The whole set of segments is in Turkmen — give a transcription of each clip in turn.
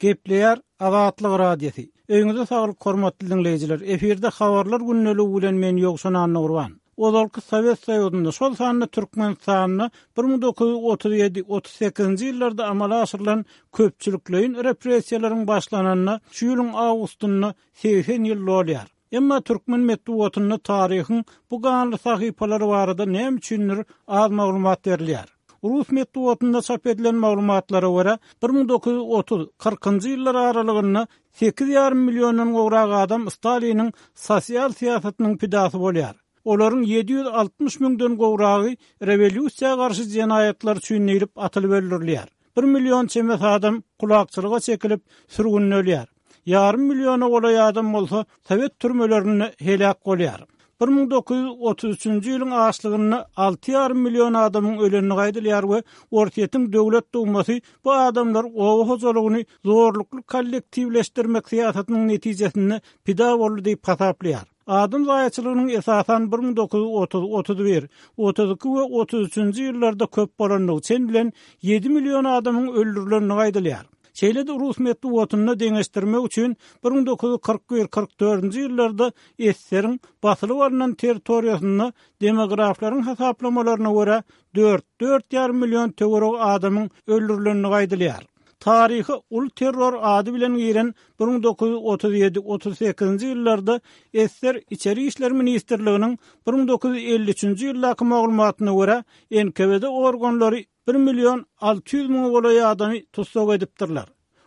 Gepleýär Azatlyk Radiosy. Öýüňize saglyk hormatly diňleýjiler. Efirde habarlar gündeligi bilen men Ýowşan Annagurban. Ozalky Sowet Soýuzynda, şol sanda Türkmenistanda 1937, 38-nji ýyllarda amala aşyrylan köpçülikleýin repressiýalaryň başlananyna şu ýylyň awgustynda 80 ýyl dolýar. Emma türkmen metbugatynda taryhyň bu ganly sahypalary barada näme üçindir az maglumat berilýär. Rus metbugatynda çap edilen maglumatlara görä, 1930, kyrkynjy ýyllar aralygynda sekiz ýarym milliondan gowrak adam Staliniň sosial syýasatynyň pidasy bolýar. Olaryň 760 müňden gowragy rewolýusiýa garşy jenaýatlar üçin diýlip atylyp öldürilýär. Bir million çemesi adam kulakçylyga çekilip, sürgünde ölýär. Ýarym milliona golaý adam bolsa sowet türmelerinde heläk bolýar. 1933-nji ýylyň açlygynda alty ýarym million adamyň ölendigi aýdylýar we Orsýetiň Döwlet Dumasy bu adamlar oba hojalygyny zorlukly kollektiwleşdirmek syýasatynyň netijesinde pida boldy diýip hasaplaýar. Adam zaýaçylygynyň esasan 1930, 31, 32 we 33-nji ýyllarda köp bolandygy, çen bilen ýedi million adamyň öldürilendigi aýdylýar. Şeýle-de rus metbugatynda deňeşdirmek üçin 1941, 44-nji ýyllarda ssr-iň basylyp alnan territoriýasynda demograflaryň hasaplamalaryna görä dört, dört ýarym million töweregi adamyň öldürilendigi aýdylýar. Taryha uly terror ady bilen giren 1937, 38-nji ýyllarda ssr Içeri işler ministrliginiň 1953-nji ýyldaky maglumatyna görä, NKWD organlary bir million 600 müňe golaý adamy tussag edipdirler.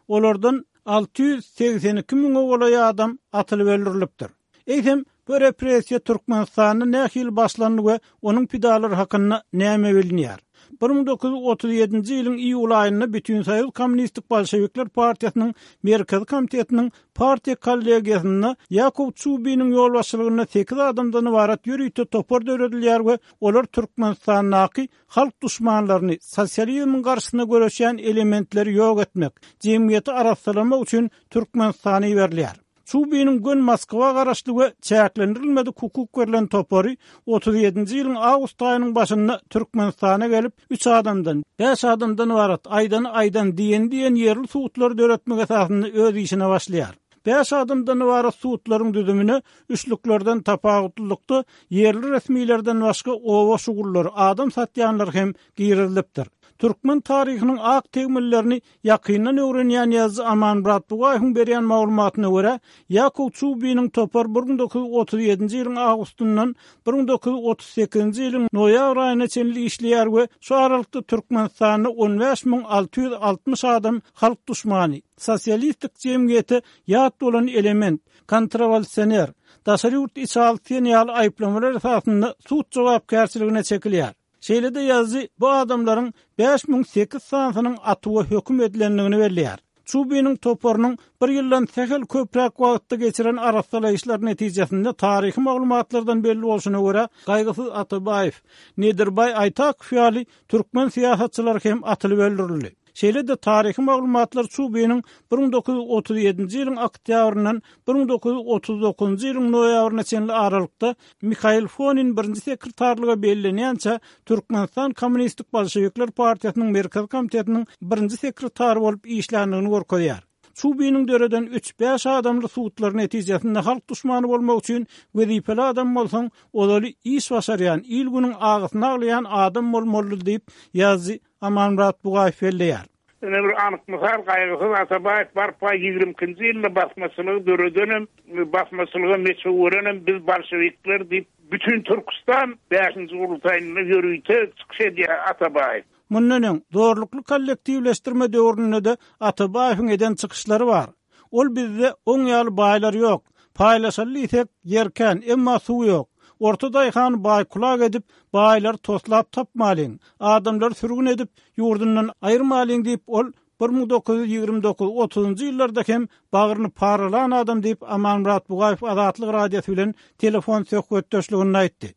Olardan 682 müňe golaý adam atylyp öldürilipdir. Eýsem, bu repressiýa Türkmenistanda nähili başlandy we onuň pidalary hakynda näme bilinýär? 1937-nji ýylyň iýul aýynda Bütinsoýuz Kommunistik Bolşewikler partiýasynyň Merkezi komitetiniň partiýa kollegiýasynda Ýakow Çubiniň ýolbaşçylygynda sekiz adamdan ybarat ýörite topar döredilýär we olar Türkmenistandaky halk duşmanlaryny, sosializmiň garşysyna göreşýän elementleri ýok etmek, jemgyýeti arassalamak üçin Türkmenistana iberilýär. Çubiniň gön Moskwa garaşly we çäklendirilmedik hukuk berlen topary 37-nji ýylyň awgust aýynyň başynda Türkmenistana gelip, üç adamdan, bäş adamdan ybarat aýdany aýdan, diýeni diýen ýerli sudlary döretmek esasynda öz işine başlaýar. Bäş adamdan ybarat sudlaryň düzümine üçlüklerden tapawutlylykda ýerli resmilerden başga oba şugullary, adam satýanlar hem girizilipdir. Türkmen taryhynyň ak tegmillerini ýakyndan öwrenýän ýazyjy Amanmyrat Bugaýewiň berýän maglumatyna görä, Ýakow Çubiniň topary 1937-nji ýylyň awgustyndan 1938-nji ýylyň noýabr aýyna çenli işleýär we şu aralykda Türkmenistanda on bäş 660 adam halk duşmany, sosialistik jemgyýete ýat bolan element, kontrrewolýusioner, daşary ýurt içalysy diýen ýaly aýyplamalar esasynda sud jogapkärçiligine çekilýär. Şeýle-de ýazyjy bu adamlaryň 5008 sanysynyň atuwa höküm edilendigini belleýär. Çubiniň toparynyň bir ýyldan sähel köpräk wagtda geçiren arassalaýyşlary netijesinde taryhy maglumatlardan belli bolşuna görä, Gaýgysyz Atabaýew, Nedirbaý Aýtakow ýaly türkmen syýasatçylary hem atylyp öldürildi. Şeýle-de taryhy maglumatlar Çubiniň 1937-nji ýylyň oktýabryndan 1939-njy ýylyň noýabryna çenli aralykda Mihail Fonin birinji sekretarlyga bellenýänçä Türkmenistan Kommunistik Bolşewikler partiýasynyň Merkezi komitetiniň birinji sekretary bolup işländigini görkezýär. Çubiniň döreden üç-bäş adamly sudlary netijesinde halk duşmany bolmak üçin wezipeli adam bolsaň, ozaly iş başarýan, il-günüň agysyny aglaýan adam bolmalydy diýip, ýazyjy Amanmyrat Bugaýew belleýär. Ine bir anyk mysal, Gaýgysyz Atabaýew barpa ýigrimi ikinji ýylda basmaçylygy döredenem, basmaçylyga meçew berenem biz bolşewikler diýip, bütin Türküstan bäşinji gurultaýynda ýörite çykyş edýär Atabaýew. Mundan öň, zorlukly kollektiwleşdirme döwründe-de Atabaýewiň eden çykyşlary bar. Ol bizde oň ýaly baýlar ýok. Paýlaşaly diýsek, ýer kän, emma suw ýok. Orta daýhany baý-kulak edip, baýlary toslap tapmalyň. Adamlary sürgün edip, ýurdundan aýyrmalyň diýip, ol 1929, otuzynjy ýyllarda hem bagryny paralan adam diýip, Amanmyrat Bugaýew Azatlyk Radiosy bilen telefon söhbetdeşliginde aýtdy.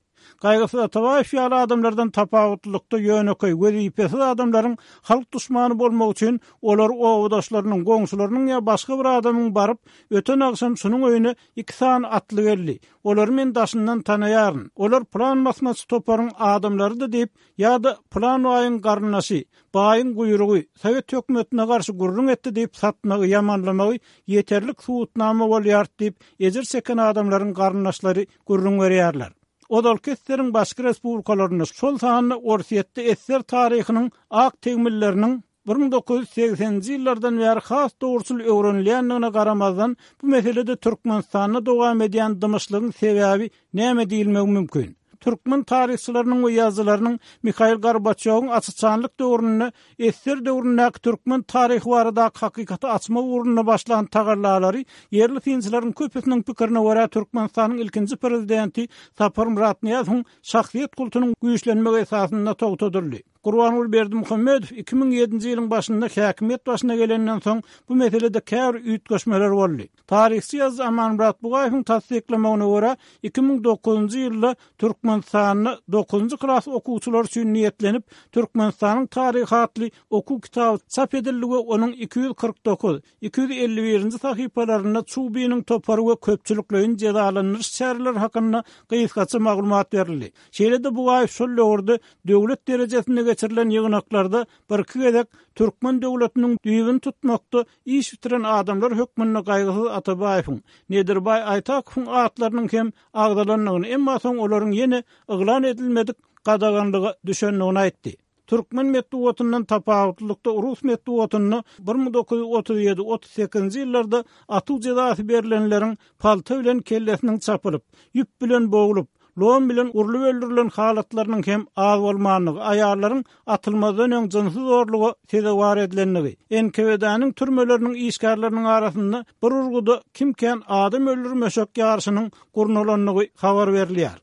Gaýgysyz Atabaýew ýaly adamlardan tapawutlylykda ýönekeý, wezipesiz adamlaryň halk duşmany bolmagy üçin olar obadaşlarynyň, goňşularynyň ýa başga bir adamyň baryp, öten agşam şunuň öýüne iki sany atly geldi, olary men daşyndan tanaýaryn, olar pylan basmaçy toparyň adamlarydy diýip, ýa-da pylan baýyň garyndaşy, baýyň guýrugy, sowet hökümetine garşy gürrüň etdi diýip satmagy, ýamanlamagy ýeterlik subutnama bolýar diýip, ejir çeken adamlaryň garyndaşlary gürrüň berýärler. Ozalky ssr-iň başga respublikalarynda, şol sanda Orsýetde ssr taryhynyň ak tegmilleriniň 1980-nji ýyllardan bäri has dogruçyl öwrenilýändigine garamazdan, bu meselede Türkmenistanda dowam edýän dymyşlygyň sebäbi näme diýilmegi mümkin? Türkmen taryhçylarynyň we ýazyjylarynyň Mihail Gorbaçýowyň aç-açanlyk döwründe ssr döwründäki türkmen taryhy baradaky hakykaty açmak ugrunda başlan tagallalary ýerli synçylaryň köpüsiniň pikirine görä Türkmenistanyň ilkinji prezidenti Saparmyrat Nyýazowyň şahsyýet kultunyň güýçlenmegi esasynda togtadyldy. Gurbanguly Berdimuhamedow 2007-nji ýylyň başynda häkimiýet başyna gelenden soň bu meselede käbir üýtgeşmeler boldy. Taryhçy ýazyjy Amanmyrat Bugaýewiň tassyklamagyna görä, 2009-njy ýylda Türkmenistanda dokuzynjy klas okuwçylary üçin niýetlenip, Türkmenistanyň taryhy atly okuw kitaby çap edildi we onuň 249, 251-nji sahypalarynda Çubiniň topary we köpçülikleýin jezalandyryş çäreleri hakynda gysgaça maglumat berildi. Şeýle-de Bugaýew şol döwürde döwlet derejesinde geçirilen ýygnaklarda birki gezek türkmen döwletiniň düýbüni tutmakda iş bitiren adamlar hökmünde Gaýgysyz Atabaýewiň, Nedirbaý Aýtakowyň atlarynyň hem agzalandygyny, emma soň olaryň ýene yglan edilmedik gadaganlyga düşendigini aýtdy. Türkmen metbugatyndan tapawutlylykda rus metbugatynda 1937, 38-nji ýyllarda atuw jezasy berlenleriň palta bilen kellesiniň çapylyp, ýüp bilen boglup, lom bilen urlup öldürilen halatlarynyň hem az bolmandygy, aýallaryň atylmazdan öň jynsy zorluga sezewar edilendigi, NKWD-niň türmeleriniň işgärleriniň arasynda bir urguda kim kän adam öldürmeşek ýaryşynyň gurnalandygy habar berilýär.